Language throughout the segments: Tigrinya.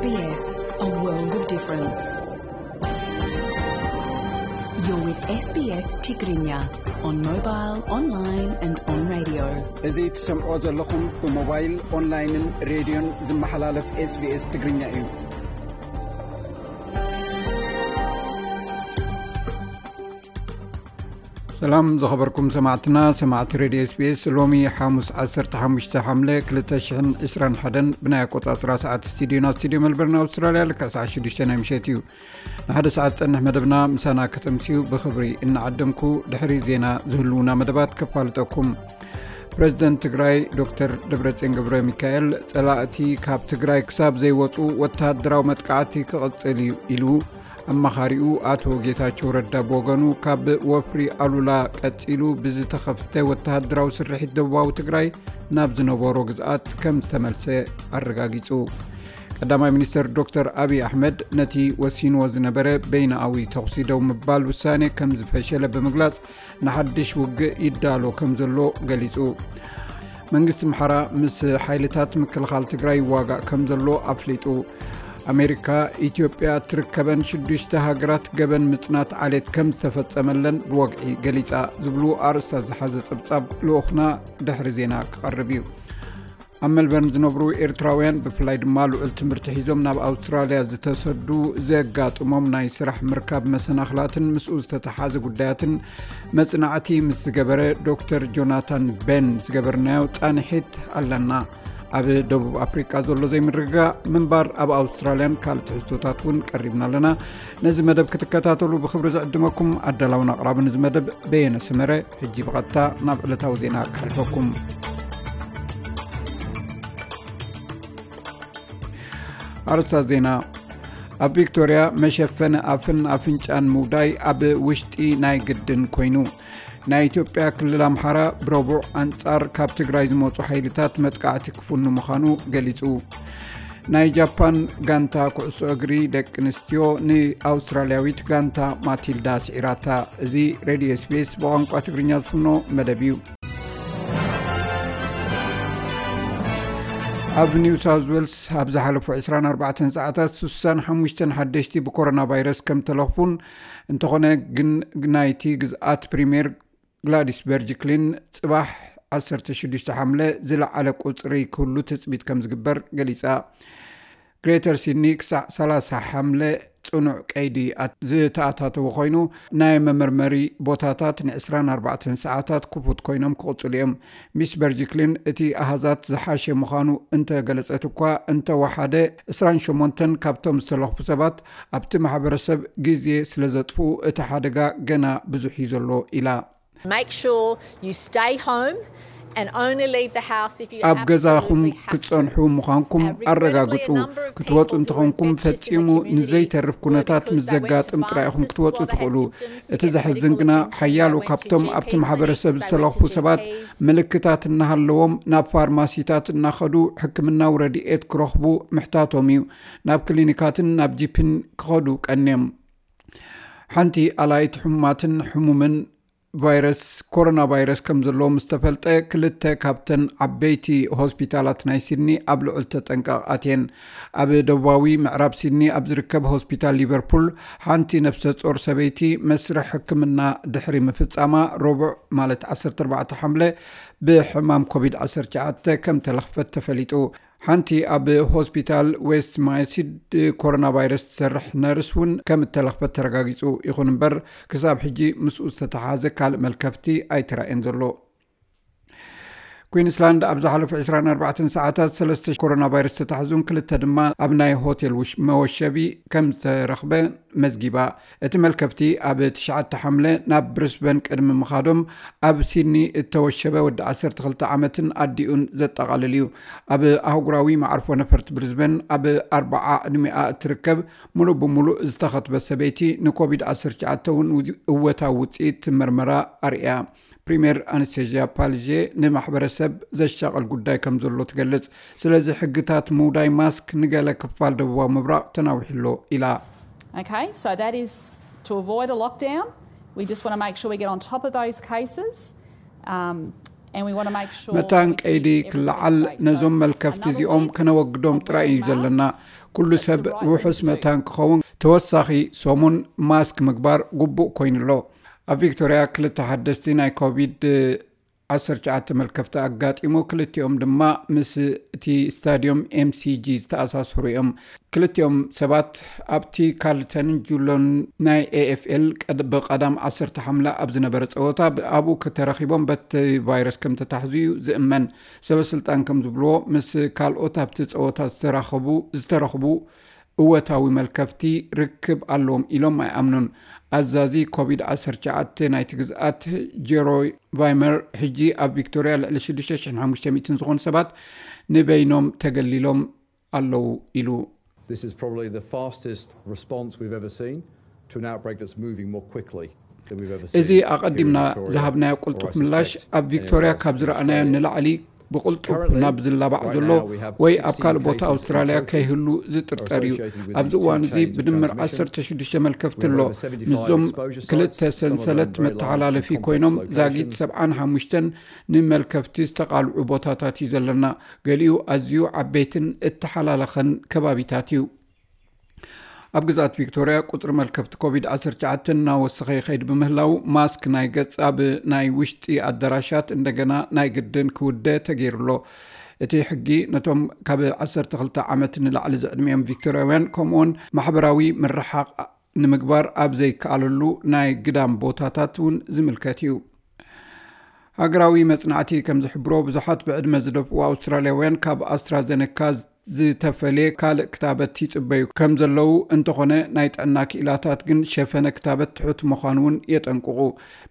S B S, a world of difference. You're with S B S Tigrinya on mobile, online and on radio. እዚ ትሰምዖ ዘለኹም ብሞባይል፣ ኦንላይንን ሬድዮን ዝመሓላለፍ SBS ትግርኛ እዩ። ሰላም ዝኸበርኩም ሰማዕትና፣ ሰማዕቲ ሬድዮ SBS። ሎሚ ሓሙስ ዓሰርተ ሓሙሽተ ሓምለ ክልተ ሽሕን ዕስራን ሓደን ብናይ ኣቆጻጽራ ሰዓት ስቱዲዮና ስቱዲዮ ሜልበርን ኣውስትራልያ ልክዕ ሰዓት ሽዱሽተ ናይ ምሸት እዩ። ንሓደ ሰዓት ጸንሕ መደብና ምሳና ከተምስዩ ብኽብሪ እናዓደምኩ ድሕሪ ዜና ዝህልውና መደባት ከፋልጠኩም። ፕረዚደንት ትግራይ ዶክተር ደብረጽዮን ገብረ ሚካኤል ጸላእቲ ካብ ትግራይ ክሳብ ዘይወጹ ወተሃደራዊ መጥቃዕቲ ክቕጽል እዩ ኢሉ። ኣማኻሪኡ ኣቶ ጌታቸው ረዳ ብወገኑ ካብ ወፍሪ ኣሉላ ቀጺሉ ብዝተኸፍተ ወተሃደራዊ ስርሒት ደቡባዊ ትግራይ ናብ ዝነበሮ ግዝኣት ከም ዝተመልሰ ኣረጋጊጹ። ቀዳማይ ሚኒስተር ዶክተር ኣብይ ኣሕመድ ነቲ ወሲንዎ ዝነበረ በይናኣዊ ተኹሲ ደው ምባል ውሳኔ ከም ዝፈሸለ ብምግላጽ ንሓድሽ ውግእ ይዳሎ ከም ዘሎ ገሊጹ። መንግስቲ ኣምሓራ ምስ ሓይልታት ምክልኻል ትግራይ ይዋጋእ ከም ዘሎ ኣፍሊጡ። ኣሜሪካ ኢትዮጵያ ትርከበን ሽዱሽተ ሃገራት ገበን ምጽናት ዓሌት ከም ዝተፈጸመለን ብወግዒ ገሊጻ ዝብሉ ኣርእስታት ዝሓዘ ጸብጻብ ልኡኽና ድሕሪ ዜና ክቐርብ እዩ። ኣብ ሜልበርን ዝነብሩ ኤርትራውያን ብፍላይ ድማ ልዑል ትምህርቲ ሒዞም ናብ ኣውስትራልያ ዝተሰዱ ዘጋጥሞም ናይ ስራሕ ምርካብ መሰናኽላትን ምስኡ ዝተተሓዘ ጉዳያትን መጽናዕቲ ምስ ዝገበረ ዶክተር ጆናታን ቤን ዝገበርናዮ ጻንሒት ኣለና። ኣብ ደቡብ ኣፍሪቃ ዘሎ ዘይምርግጋእ ምንባር ኣብ ኣውስትራልያን ካልእ ትሕዝቶታት እውን ቀሪብና ኣለና። ነዚ መደብ ክትከታተሉ ብኽብሪ ዝዕድመኩም ኣዳላውን ኣቕራብን እዚ መደብ በየነ ሰመረ። ሕጂ ብቐጥታ ናብ ዕለታዊ ዜና ክሓልፈኩም። ኣርእስታት ዜና። ኣብ ቪክቶርያ መሸፈኒ ኣፍን ኣፍንጫን ምውዳይ ኣብ ውሽጢ ናይ ግድን ኮይኑ። ናይ ኢትዮጵያ ክልል ኣምሓራ ብረቡዕ ኣንጻር ካብ ትግራይ ዝመጹ ሓይልታት መጥቃዕቲ ክፍኑ ምዃኑ ገሊጹ። ናይ ጃፓን ጋንታ ኩዕሶ እግሪ ደቂ ኣንስትዮ ንኣውስትራልያዊት ጋንታ ማቲልዳ ስዒራታ። እዚ ሬድዮ SBS ብቋንቋ ትግርኛ ዝፍኖ መደብ እዩ። ኣብ ኒው ሳውዝ ዌልስ ኣብ ዝሓለፉ ዕስራን ኣርባዕተን ሰዓታት ስሳን ሓሙሽተን ሓደሽቲ ብኮሮና ቫይረስ ከም ተለኽፉን፣ እንተኾነ ግን ናይቲ ግዝኣት ፕሪምየር ግላዲስ በርጅክሊን ጽባሕ ዓሰርተ ሽዱሽተ ሓምለ ዝለዓለ ቁጽሪ ክህሉ ትጽቢት ከም ዝግበር ገሊጻ። ግሬተር ሲድኒ ክሳዕ ሰላሳ ሓምለ ጽኑዕ ቀይዲ ኣት-፣ ዝተኣታተወ ኮይኑ፣ ናይ መመርመሪ ቦታታት ንዕስራን ኣርባዕተን ሰዓታት ክፉት ኮይኖም ክቕጽሉ እዮም። ሚስ በርጅክሊን እቲ ኣሃዛት ዝሓሸ ምዃኑ እንተገለጸት እኳ፣ እንተወሓደ ዕስራን ሸሞንተን ካብቶም ዝተለኽፉ ሰባት ኣብቲ ማሕበረሰብ ግዜ ስለ ዘጥፍኡ፣ እቲ ሓደጋ ገና ብዙሕ እዩ ዘሎ ኢላ። Make sure you stay home and only leave the house if you ኣብ ገዛኹም ክትጸንሑ ምዃንኩም ኣረጋግጹ። ክትወጹ እንተኾንኩም ፈጺሙ ንዘይተርፍ ኩነታት ምስ ዘጋጥም ጥራይ ኢኹም ክትወጹ ትኽእሉ። እቲ ዘሕዝን ግና ሓያሎ ካብቶም ኣብቲ ማሕበረሰብ ዝተለኽፉ ሰባት ምልክታት እናሃለዎም ናብ ፋርማሲታት እናኸዱ ሕክምናዊ ረድኤት ክረኽቡ ምሕታቶም እዩ። ናብ ክሊኒካትን ናብ ጂፒን ክኸዱ ቀንዮም። ሓንቲ ኣላይት ሕሙማትን ሕሙምን ቫይረስ ኮሮና ቫይረስ ከም ዘለዎ ምስ ተፈልጠ፣ ክልተ ካብተን ዓበይቲ ሆስፒታላት ናይ ሲድኒ ኣብ ልዑል ተጠንቀቕ ኣትየን። ኣብ ደቡባዊ ምዕራብ ሲድኒ ኣብ ዝርከብ ሆስፒታል ሊቨርፑል፣ ሓንቲ ነፍሰ ጾር ሰበይቲ መስርሕ ሕክምና ድሕሪ ምፍጻማ፣ ረቡዕ ማለት ዓሰርተ ኣርባዕተ ሓምለ ብሕማም ኮቪድ ዓሰርተ ትሽዓተ ከም ተለኽፈት ተፈሊጡ። ሓንቲ ኣብ ሆስፒታል ዌስት ማይሲድ ኮሮና ቫይረስ ትሰርሕ ነርስ እውን ከም እተለኽፈት ተረጋጊጹ። ይኹን እምበር፣ ክሳብ ሕጂ ምስኡ ዝተተሓሓዘ ካልእ መልከፍቲ ኣይተራእየን ዘሎ። ኩዊንስላንድ ኣብ ዝሓለፉ ዕስራን ኣርባዕተን ሰዓታት ሰለስተ ኮሮና ቫይረስ ተታሕዙን ክልተ ድማ ኣብ ናይ ሆቴል ውሽ-፣ መወሸቢ ከም ዝተረኽበ መዝጊባ። እቲ መልከፍቲ ኣብ ትሽዓተ ሓምለ ናብ ብሪስበን ቅድሚ ምኻዶም ኣብ ሲድኒ እተወሸበ ወዲ ዓሰርተ ክልተ ዓመትን ኣዲኡን ዘጠቓልል እዩ። ኣብ ኣህጉራዊ መዓርፎ ነፈርቲ ብሪስበን ኣብ ኣርብዓ ዕድሚኣ እትርከብ ምሉእ ብምሉእ ዝተኸትበት ሰበይቲ ንኮቪድ ዓሰርተ ትሽዓተ እውን እወታዊ ውፅኢት መርመራ ኣርእያ። ፕሪምየር ኣናስቴዝያ ፓልዤ ንማሕበረሰብ ዘሻቕል ጉዳይ ከም ዘሎ ትገልጽ። ስለዚ ሕግታት ምውዳይ ማስክ ንገለ ክፋል ደቡባዊ ምብራቕ ተናዊሑ ኣሎ ኢላ። Okay, so that is to avoid a lockdown. We just want to make sure we get on top of those cases. Um, and we want to make sure መታን ቀይዲ ክለዓል ነዞም መልከፍቲ እዚኦም ከነወግዶም ጥራይ እዩ ዘለና። ኩሉ ሰብ ውሑስ መታን ክኸውን ተወሳኺ ሰሙን ማስክ ምግባር ግቡእ ኮይኑ ኣሎ። ኣብ ቪክቶርያ ክልተ ሓደስቲ ናይ ኮቪድ ዓሰርተ ትሽዓተ መልከፍቲ ኣጋጢሙ፣ ክልቲኦም ድማ ምስ እቲ ስታድዮም ኤምሲጂ ዝተኣሳሰሩ እዮም። ክልቲኦም ሰባት ኣብቲ ካርልተንን ጁሎን ናይ ኤኤፍኤል ቀድ-፣ ብቐዳም ዓሰርተ ሓምለ ኣብ ዝነበረ ጸወታ ኣብኡ ከተረኺቦም በቲ ቫይረስ ከም ተታሕዙ እዩ ዝእመን። ሰበ ስልጣን ከም ዝብልዎ፣ ምስ ካልኦት ኣብቲ ጸወታ ዝተራኸቡ፣ ዝተረኽቡ እወታዊ መልከፍቲ ርክብ ኣለዎም ኢሎም ኣይኣምኑን። ኣዛዚ ኮቪድ ዓሰርተ ትሽዓተ ናይቲ ግዝኣት ጀሮይ ቫይመር፣ ሕጂ ኣብ ቪክቶርያ ልዕሊ ሽዱሽተ ሽሕን ሓሙሽተ ሚእትን ዝኾኑ ሰባት ንበይኖም ተገሊሎም ኣለዉ ኢሉ። This is probably the fastest response we've ever seen to an outbreak that's moving more quickly than we've ever seen. እዚ ኣቐዲምና ዝሃብናዮ ቅልጡፍ ምላሽ ኣብ ቪክቶርያ ካብ ዝረኣናዮ ንላዕሊ ብቕልጡፍ ናብ ዝላባዕ ዘሎ ወይ ኣብ ካልእ ቦታ ኣውስትራልያ ከይህሉ ዝጥርጠር እዩ። ኣብዚ እዋን እዚ ብድምር ዓሰርተ ሽዱሽተ መልከፍቲ ኣሎ። ምስዞም ክልተ ሰንሰለት መተሓላለፊ ኮይኖም ዛጊት ሰብዓን ሓሙሽተን ንመልከፍቲ ዝተቓልዑ ቦታታት እዩ ዘለና። ገሊኡ ኣዝዩ ዓበይትን እተሓላለኸን ከባቢታት እዩ። ኣብ ግዝኣት ቪክቶርያ ቁጽሪ መልከፍቲ ኮቪድ ዓሰርተ ትሽዓተ እናወሰኸ ይኸይድ ብምህላው፣ ማስክ ናይ ገጽ ኣብ ናይ ውሽጢ ኣዳራሻት እንደገና ናይ ግድን ክውደ ተገይሩ ኣሎ። እቲ ሕጊ ነቶም ካብ ዓሰርተ ክልተ ዓመት ንላዕሊ ዝዕድሚኦም ቪክቶርያውያን፣ ከምኡውን ማሕበራዊ ምርሓቕ ንምግባር ኣብ ዘይከኣለሉ ናይ ግዳም ቦታታት እውን ዝምልከት እዩ። ሃገራዊ መጽናዕቲ ከም ዝሕብሮ፣ ብዙሓት ብዕድመ ዝደፍኡ ኣውስትራልያውያን ካብ ኣስትራዘነካ ዝተፈልየ ካልእ ክታበት ይጽበዩ ከም ዘለዉ፣ እንተኾነ ናይ ጥዕና ክኢላታት ግን ሸፈነ ክታበት ትሑት ምዃኑ እውን የጠንቅቑ።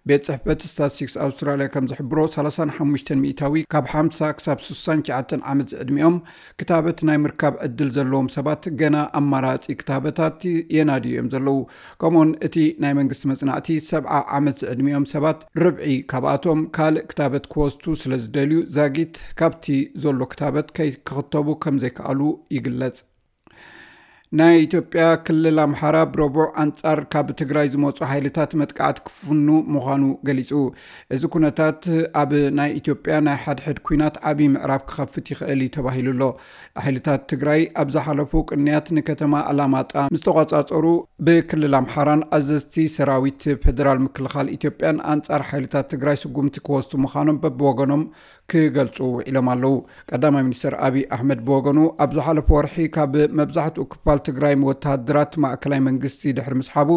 ቤት ጽሕፈት ስታትስቲክስ ኣውስትራልያ ከም ዝሕብሮ፣ ሰላሳን ሓሙሽተን ሚእታዊ ካብ ሓምሳ ክሳብ ስሳን ትሽዓተን ዓመት ዝዕድሚኦም ክታበት ናይ ምርካብ ዕድል ዘለዎም ሰባት ገና ኣማራጺ ክታበታት የናድዩ እዮም ዘለዉ። ከምኡውን እቲ ናይ መንግስቲ መጽናዕቲ፣ ሰብዓ ዓመት ዝዕድሚኦም ሰባት ርብዒ ካብኣቶም ካልእ ክታበት ክወስዱ ስለ ዝደልዩ፣ ዛጊት ካብቲ ዘሎ ክታበት ከይክኽተቡ ከም ዘይከኣሉ ይግለጽ። ናይ ኢትዮጵያ ክልል ኣምሓራ ብረቡዕ ኣንጻር ካብ ትግራይ ዝመጹ ሓይልታት መጥቃዕቲ ክፍኑ ምዃኑ ገሊጹ። እዚ ኩነታት ኣብ ናይ ኢትዮጵያ ናይ ሓድሕድ ኲናት ዓቢ ምዕራፍ ክኸፍት ይኽእል እዩ ተባሂሉ ኣሎ። ሓይልታት ትግራይ ኣብ ዝሓለፉ ቅንያት ንከተማ ኣላማጣ ምስ ተቖጻጸሩ፣ ብክልል ኣምሓራን ኣዘዝቲ ሰራዊት ፌደራል ምክልኻል ኢትዮጵያን ኣንጻር ሓይልታት ትግራይ ስጉምቲ ክወስዱ ምዃኖም በብወገኖም ክገልጹ ውዒሎም ኣለዉ። ቀዳማይ ሚኒስትር ኣብይ ኣሕመድ ብወገኑ፣ ኣብ ዝሓለፈ ወርሒ ካብ መብዛሕትኡ ክፋል ትግራይ ወተሃደራት ማእከላይ መንግስቲ ድሕሪ ምስሓቡ፣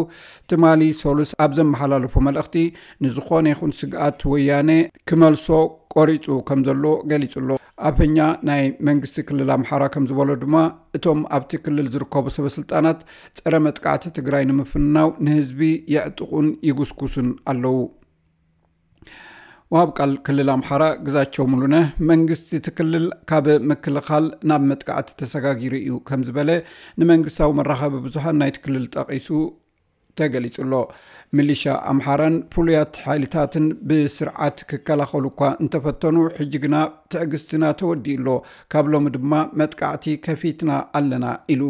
ትማሊ ሰሉስ ኣብ ዘመሓላለፎ መልእኽቲ፣ ንዝኾነ ይኹን ስግኣት ወያነ ክመልሶ ቆሪጹ ከም ዘሎ ገሊጹ ኣሎ። ኣፈኛ ናይ መንግስቲ ክልል ኣምሓራ ከም ዝበሎ ድማ፣ እቶም ኣብቲ ክልል ዝርከቡ ሰበ ስልጣናት ጸረ መጥቃዕቲ ትግራይ ንምፍናው ንህዝቢ የዕጥቑን ይጉስጉሱን ኣለዉ። ወሃብ ቃል ክልል ኣምሓራ ግዛቸው ሙሉነህ፣ መንግስቲ እቲ ክልል ካብ ምክልኻል ናብ መጥቃዕቲ ተሰጋጊሩ እዩ ከም ዝበለ ንመንግስታዊ መራኸቢ ብዙሃን ናይቲ ክልል ጠቒሱ ተገሊጹ ኣሎ። ሚሊሻ ኣምሓራን ፍሉያት ሓይልታትን ብስርዓት ክከላኸሉ እኳ እንተፈተኑ፣ ሕጂ ግና ትዕግስትና ተወዲኡ ኣሎ፣ ካብ ሎሚ ድማ መጥቃዕቲ ከፊትና ኣለና ኢሉ።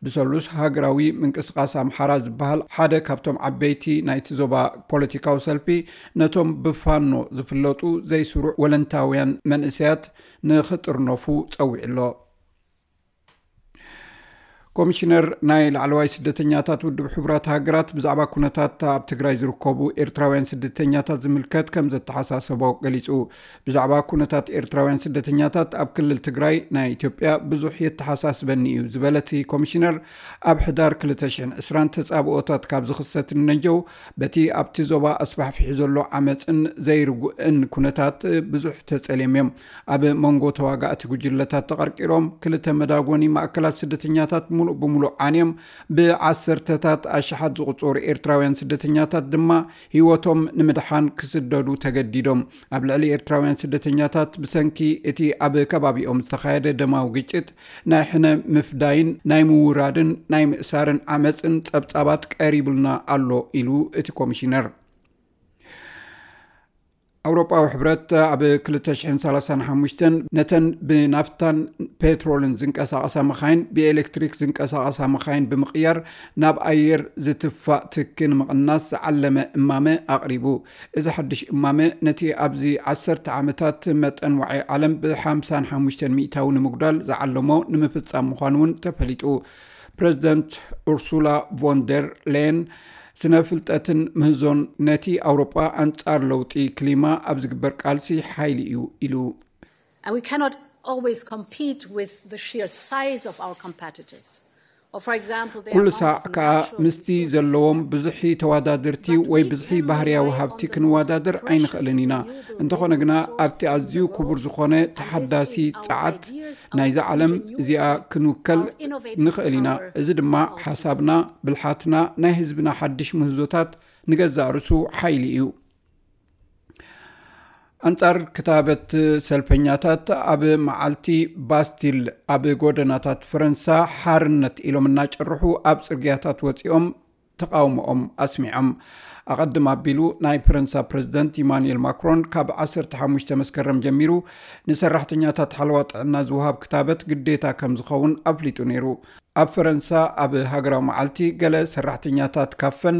ብሰሉስ ሃገራዊ ምንቅስቓስ ኣምሓራ ዝበሃል ሓደ ካብቶም ዓበይቲ ናይቲ ዞባ ፖለቲካዊ ሰልፊ፣ ነቶም ብፋኖ ዝፍለጡ ዘይስሩዕ ወለንታውያን መንእሰያት ንኽጥርነፉ ጸዊዑ ኣሎ። ኮሚሽነር ናይ ላዕለዋይ ስደተኛታት ውድብ ሕቡራት ሃገራት ብዛዕባ ኩነታት ኣብ ትግራይ ዝርከቡ ኤርትራውያን ስደተኛታት ዝምልከት ከም ዘተሓሳሰቦ ገሊጹ። ብዛዕባ ኩነታት ኤርትራውያን ስደተኛታት ኣብ ክልል ትግራይ ናይ ኢትዮጵያ ብዙሕ የተሓሳስበኒ እዩ ዝበለ እቲ ኮሚሽነር፣ ኣብ ሕዳር ክልተ ሽሕን ዕስራን ተጻብኦታት ካብ ዝኽሰት ንነጀው፣ በቲ ኣብቲ ዞባ ኣስፋሕፊሑ ዘሎ ዓመጽን ዘይርጉእን ኩነታት ብዙሕ ተጸልዮም እዮም። ኣብ መንጎ ተዋጋእቲ ጉጅለታት ተቐርቂሮም፣ ክልተ መዳጎኒ ማእከላት ስደተኛታት ሙሉእ ብሙሉእ ዓንዮም፣ ብዓሰርተታት ኣሽሓት ዝቑጸሩ ኤርትራውያን ስደተኛታት ድማ ህይወቶም ንምድሓን ክስደዱ ተገዲዶም። ኣብ ልዕሊ ኤርትራውያን ስደተኛታት ብሰንኪ እቲ ኣብ ከባቢኦም ዝተኻየደ ደማዊ ግጭት ናይ ሕነ ምፍዳይን ናይ ምውራድን ናይ ምእሳርን ዓመጽን ጸብጻባት ቀሪቡልና ኣሎ ኢሉ እቲ ኮሚሽነር። ኣውሮጳዊ ሕብረት ኣብ ክልተ ሽሕን ሰላሳን ሓሙሽተን ነተን ብናፍታን ፔትሮልን ዝንቀሳቐሳ መኻይን ብኤሌክትሪክ ዝንቀሳቐሳ መኻይን ብምቕያር ናብ ኣየር ዝትፋእ ትኪ ንምቕናስ ዝዓለመ እማመ ኣቕሪቡ። እዚ ሓድሽ እማመ ነቲ ኣብዚ ዓሰርተ ዓመታት መጠን ዋዒ ዓለም ብ ሓምሳን ሓሙሽተን ሚእታዊ ንምጉዳል ዝዓለሞ ንምፍጻም ምዃኑ እውን ተፈሊጡ። ፕረዚደንት ኡርሱላ ቮን ደር ሌየን ስነ ፍልጠትን ምህዞን ነቲ ኣውሮጳ ኣንጻር ለውጢ ክሊማ ኣብ ዝግበር ቃልሲ ሓይሊ እዩ ኢሉ። And we cannot always compete with the sheer size of our competitors. Or, for example, they ኩሉ are ሳዕ bound to ከኣ natural ምስቲ resources. ዘለዎም ብዝሒ ተወዳደርቲ ወይ ብዝሒ ባህርያዊ ሃብቲ ክንወዳደር ኣይንኽእልን ኢና። እንተኾነ ግና ኣብቲ ኣዝዩ ክቡር ዝኾነ ተሓዳሲ ጸዓት ናይዛ ዓለም እዚኣ ክንውከል ንኽእል ኢና። እዚ ድማ ሓሳብና፣ ብልሓትና፣ ናይ ህዝብና ሓድሽ ምህዞታት ንገዛእ ርእሱ ሓይሊ እዩ። ኣንጻር ክታበት ሰልፈኛታት ኣብ መዓልቲ ባስቲል ኣብ ጎደናታት ፈረንሳ ሓርነት ኢሎም እናጨርሑ ኣብ ጽርግያታት ወጺኦም ተቃውሞኦም ኣስሚዖም። ኣቐድም ኣቢሉ ናይ ፈረንሳ ፕረዚደንት ኢማኑኤል ማክሮን ካብ ዓሰርተ ሓሙሽተ መስከረም ጀሚሩ ንሰራሕተኛታት ሓለዋ ጥዕና ዝወሃብ ክታበት ግዴታ ከም ዝኸውን ኣፍሊጡ ነይሩ። ኣብ ፈረንሳ ኣብ ሃገራዊ መዓልቲ ገለ ሰራሕተኛታት ካፈን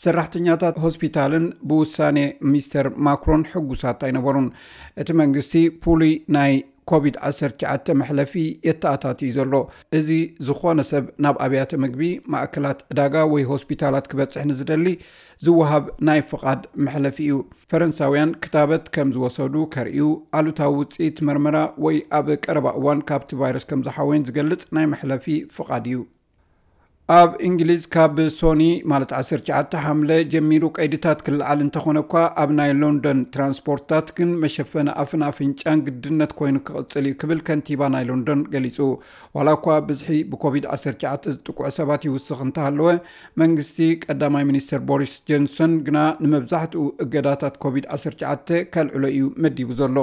ሰራሕተኛታት ሆስፒታልን ብውሳኔ ሚስተር ማክሮን ሕጉሳት ኣይነበሩን። እቲ መንግስቲ ፍሉይ ናይ ኮቪድ ዓሰርተ ትሽዓተ መሕለፊ የተኣታትዩ ዘሎ። እዚ ዝኾነ ሰብ ናብ ኣብያተ ምግቢ፣ ማእከላት ዕዳጋ ወይ ሆስፒታላት ክበጽሕ ንዝደሊ ዝወሃብ ናይ ፍቓድ መሕለፊ እዩ። ፈረንሳውያን ክታበት ከም ዝወሰዱ ከርእዩ፣ ኣሉታዊ ውጽኢት መርመራ ወይ ኣብ ቀረባ እዋን ካብቲ ቫይረስ ከም ዝሓወዩን ዝገልጽ ናይ መሕለፊ ፍቓድ እዩ። ኣብ እንግሊዝ ካብ ሶኒ ማለት ዓሰርተ ትሽዓተ ሓምለ ጀሚሩ ቀይድታት ክለዓል እንተኾነ እኳ ኣብ ናይ ሎንደን ትራንስፖርትታት ግን መሸፈኒ ኣፍን ኣፍንጫን ግድነት ኮይኑ ክቕጽል እዩ ክብል ከንቲባ ናይ ሎንደን ገሊጹ። ዋላ እኳ ብዝሒ ብኮቪድ ዓሰርተ ትሽዓተ ዝጥቅዑ ሰባት ይውስኽ እንተሃለወ መንግስቲ ቀዳማይ ሚኒስትር ቦሪስ ጆንሰን ግና ንመብዛሕትኡ እገዳታት ኮቪድ ዓሰርተ ትሽዓተ ከልዕሎ እዩ መዲቡ ዘሎ።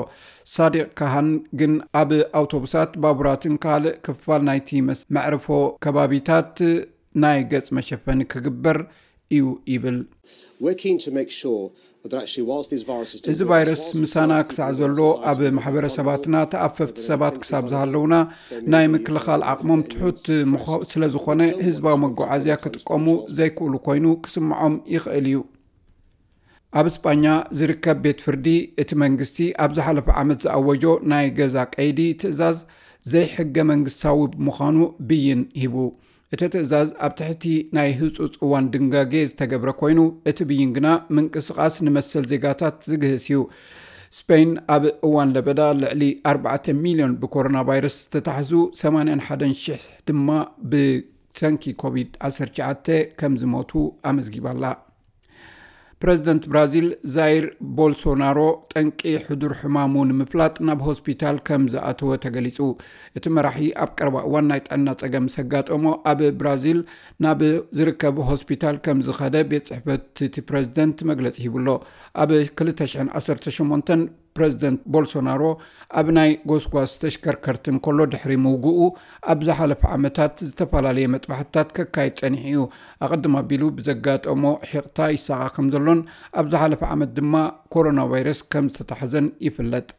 ሳዲቕ ካሃን ግን ኣብ ኣውቶቡሳት፣ ባቡራትን ካልእ ክፋል ናይቲ መስ- መዕርፎ ከባቢታት ናይ ገጽ መሸፈኒ ክግበር እዩ ይብል። We're keen to make sure that actually whilst these viruses do እዚ ቫይረስ ምሳና ክሳዕ ዘሎ ኣብ ማሕበረሰባትና ተኣፈፍቲ ሰባት ክሳብ ዝሃለውና ናይ ምክልኻል ዓቕሞም ትሑት ምኾ- ስለ ዝኾነ ህዝባዊ መጓዓዝያ ክጥቀሙ ዘይክእሉ ኮይኑ ክስምዖም ይኽእል እዩ። ኣብ እስጳኛ ዝርከብ ቤት ፍርዲ እቲ መንግስቲ ኣብ ዝሓለፈ ዓመት ዝኣወጆ ናይ ገዛ ቀይዲ ትእዛዝ ዘይሕገ መንግስታዊ ብምዃኑ ብይን ሂቡ። እቲ ትእዛዝ ኣብ ትሕቲ ናይ ህጹጽ እዋን ድንጋጌ ዝተገብረ ኮይኑ እቲ ብይን ግና ምንቅስቓስ ንመሰል ዜጋታት ዝግህስ እዩ። ስፔን ኣብ እዋን ለበዳ ልዕሊ ኣርባዕተ ሚልዮን ብኮሮና ቫይረስ ዝተታሕዙ ሰማንያን ሓደን ሽሕ ድማ ብሰንኪ ኮቪድ ዓሰርተ ትሽዓተ ከም ዝሞቱ ኣመዝጊባላ። ፕረዚደንት ብራዚል ዛይር ቦልሶናሮ ጠንቂ ሕዱር ሕማሙ ንምፍላጥ ናብ ሆስፒታል ከም ዝኣተወ ተገሊጹ። እቲ መራሒ ኣብ ቀረባ እዋን ናይ ጥዕና ጸገም ምስ ኣጋጠሞ ኣብ ብራዚል ናብ ዝርከብ ሆስፒታል ከም ዝኸደ ቤት ጽሕፈት እቲ ፕረዚደንት መግለጺ ሂቡሎ። ኣብ ክልተ ሽሕን ዓሰርተ ሸሞንተን ፕረዚደንት ቦልሶናሮ ኣብ ናይ ጎስጓስ ተሽከርከርቲ እንከሎ ድሕሪ ምውግኡ ኣብ ዝሓለፈ ዓመታት ዝተፈላለየ መጥባሕትታት ከካይድ ጸኒሑ እዩ። ኣቐድም ኣቢሉ ብዘጋጠሞ ሒቕታ ይሳቐ ከም ዘሎን ኣብ ዝሓለፈ ዓመት ድማ ኮሮና ቫይረስ ከም ዝተታሕዘን ይፍለጥ።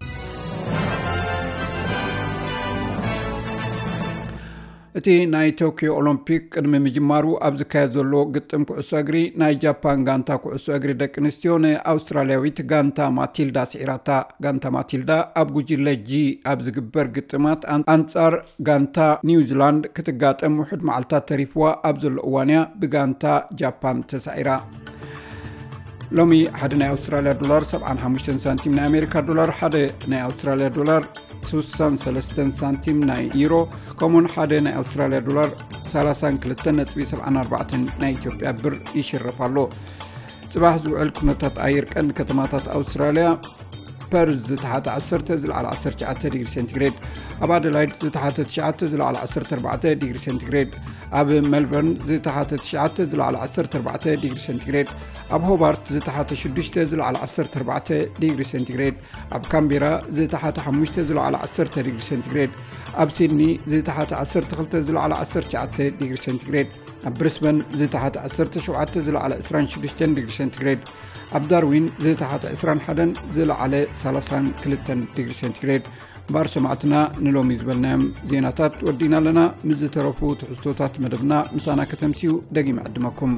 እቲ ናይ ቶኪዮ ኦሎምፒክ ቅድሚ ምጅማሩ ኣብ ዝካየድ ዘሎ ግጥም ኩዕሶ እግሪ ናይ ጃፓን ጋንታ ኩዕሶ እግሪ ደቂ ኣንስትዮ ንኣውስትራልያዊት ጋንታ ማቲልዳ ስዒራታ። ጋንታ ማቲልዳ ኣብ ጉጅለ ጂ ኣብ ዝግበር ግጥማት ኣን- ኣንጻር ጋንታ ኒውዚላንድ ክትጋጠም ውሑድ መዓልታት ተሪፍዋ ኣብ ዘሎ እዋን እያ ብጋንታ ጃፓን ተሳዒራ። ሎሚ ሓደ ናይ ኣውስትራልያ ዶላር ሰብዓን ሓሙሽተን ሳንቲም፣ ናይ ኣሜሪካ ዶላር ሓደ ናይ ኣውስትራልያ ዶላር ስሳን ሰለስተን ሳንቲም፣ ናይ ዩሮ ከምኡውን ሓደ ናይ ኣውስትራልያ ዶላር ሰላሳን ክልተን ነጥቢ ሰብዓን ኣርባዕተን ናይ ኢትዮጵያ ብር ይሽረፍ ኣሎ። ጽባሕ ዝውዕል ኩነታት ኣየር ቀንዲ ከተማታት ኣውስትራልያ፣ ፐርዝ ዝተሓተ ዓሰርተ ዝለዓለ ዓሰርተ ትሽዓተ ዲግሪ ሴንቲግሬድ፣ ኣብ ኣደላይድ ዝተሓተ ትሽዓተ ዝለዓለ ዓሰርተ ኣርባዕተ ዲግሪ ሴንቲግሬድ፣ ኣብ ሜልበርን ዝተሓተ ትሽዓተ ዝለዓለ ዓሰርተ ኣርባዕተ ዲግሪ ሴንቲግሬድ፣ ኣብ ሆባርት ዝተሓተ ሽዱሽተ ዝለዓለ ዓሰርተ ኣርባዕተ ዲግሪ ሴንቲግሬድ፣ ኣብ ካምቤራ ዝተሓተ ሓሙሽተ ዝለዓለ ዓሰርተ ዲግሪ ሴንቲግሬድ፣ ኣብ ሲድኒ ዝተሓተ ዓሰርተ ክልተ ዝለዓለ ዓሰርተ ትሽዓተ ዲግሪ ሴንቲግሬድ፣ ኣብ ብሪስበን ዝተሓተ ዓሰርተ ሸውዓተ ዝለዓለ ዕስራን ሽዱሽተን ዲግሪ ሴንቲግሬድ፣ ኣብ ዳርዊን ዝተሓተ ዕስራን ሓደን ዝለዓለ ሰላሳን ክልተን ዲግሪ ሴንቲግሬድ። እምበኣር ሰማዕትና፣ ንሎሚ ዝበልናዮም ዜናታት ወዲና ኣለና። ምስ ዝተረፉ ትሕዝቶታት መደብና ምሳና ከተምስዩ ደጊመ ዕድመኩም።